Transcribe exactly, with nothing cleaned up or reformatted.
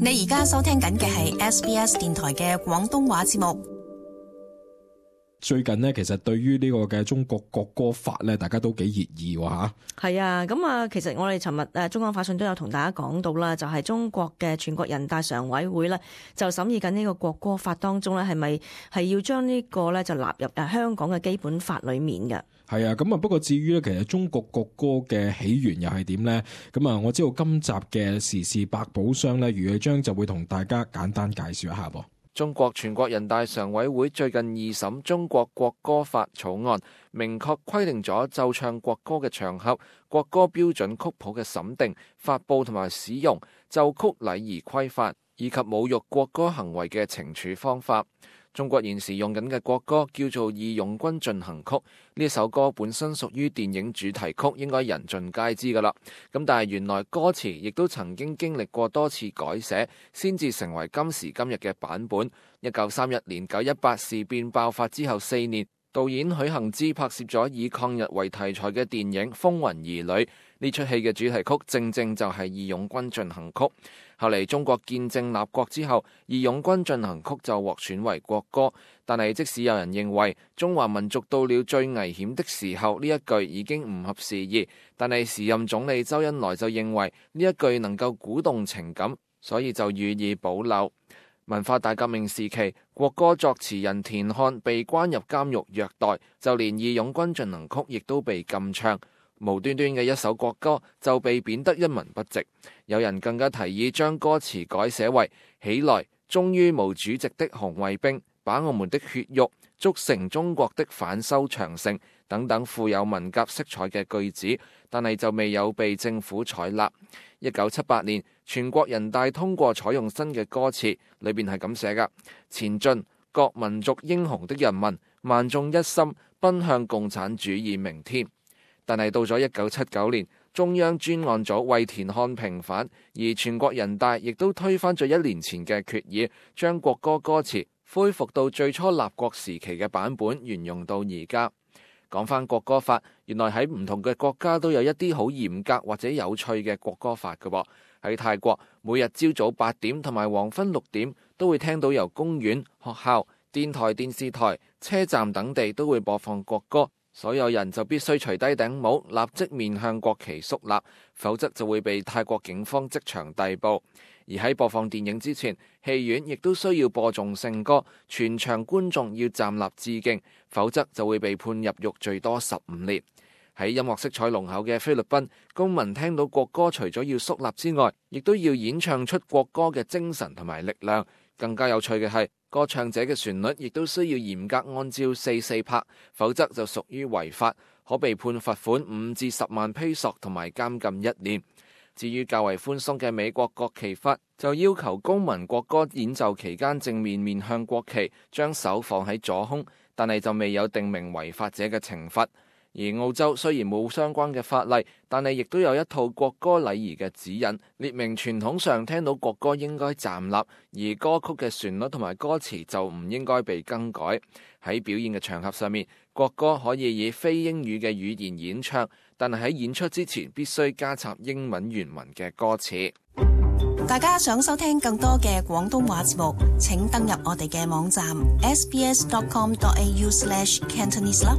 你而家收聽緊嘅係 S B S 電台嘅廣東話節目。最近呢，其實對於呢個嘅中國國歌法咧，大家都幾熱議喎嚇。係啊，咁啊，其實我哋尋日誒中港法訊都有同大家講到啦，就係、是、中國嘅全國人大常委會咧，就審議緊呢個國歌法當中咧，係咪係要將呢個咧就納入誒香港嘅基本法裡面嘅？係啊，咁啊，不過至於咧，其實中國國歌嘅起源又係點呢？咁啊，我知道今集嘅時事百寶箱咧，余偉章就會同大家簡單介紹一下噃。中國全國人大常委會最近二審中國國歌法草案，明確規定咗奏唱國歌嘅場合、國歌標準曲譜嘅審定、發佈同埋使用、奏曲禮儀規範以及侮辱國歌行為嘅懲處方法。中國現時用緊嘅國歌叫做《義勇軍進行曲》，呢首歌本身屬於電影主題曲，應該人盡皆知噶啦。咁但係原來歌詞亦都曾經經歷過多次改寫，先至成為今時今日嘅版本。一九三一年九一八事變爆發之後四年，導演許幸之拍攝咗以抗日為題材嘅電影《風雲兒女》，呢出戲嘅主題曲正正就係《義勇軍進行曲》。後嚟中國建政立國之後，《義勇軍進行曲》就獲選為國歌。但係即使有人認為中華民族到了最危險的時候，呢一句已經唔合時宜，但係時任總理周恩來就認為呢一句能夠鼓動情感，所以就予以保留。文化大革命時期，國歌作詞人田漢被關入監獄虐待，就連《義勇軍進行曲》亦都被禁唱。無端端嘅一首國歌就被貶得一文不值，有人更加提議將歌詞改寫為起來，忠於毛主席的紅衛兵，把我們的血肉築成中國的反修長城等等富有文革色彩嘅句子，但係就未有被政府採納。一九七八年，全國人大通過採用新嘅歌詞，裏邊係咁寫噶：前進，各民族英雄的人民，萬眾一心，奔向共產主義明天。但係到咗一九七九年，中央專案組為田漢平反，而全國人大亦都推翻咗一年前嘅決議，將國歌歌詞恢復到最初立國時期嘅版本，沿用到而家。講翻國歌法，原來喺唔同嘅國家都有一啲好嚴格或者有趣嘅國歌法嘅。喺泰國，每日朝早八點同埋黃昏六點都會聽到由公園、學校、電台、電視台、車站等地都會播放國歌。所有人就必須除低頂帽，立即面向國旗肅立，否則就會被泰國警方即場逮捕。而喺播放電影之前，戲院亦都需要播頌聖歌，全場觀眾要站立致敬，否則就會被判入獄最多十五年。喺音樂色彩濃厚嘅菲律賓，公民聽到國歌除咗要肅立之外，亦都要演唱出國歌嘅精神同埋力量。更加有趣嘅係，歌唱者嘅旋律亦都需要嚴格按照四四拍，否則就屬於違法，可被判罰款五至十萬披索同埋監禁一年。至於較為寬鬆嘅美國國旗法，就要求公民國歌演奏期間正面面向國旗，將手放喺左胸，但係就未有定明違法者嘅懲罰。而澳洲雖然冇相關嘅法例，但係亦都有一套國歌禮儀嘅指引，列明傳統上聽到國歌應該站立，而歌曲嘅旋律同埋歌詞就唔應該被更改。喺表演嘅場合上面，國歌可以以非英語嘅語言演唱，但係喺演出之前必須加插英文原文嘅歌詞。大家想收聽更多嘅廣東話節目，請登入我哋嘅網站 s b s dot com dot a u slash cantonese 啦。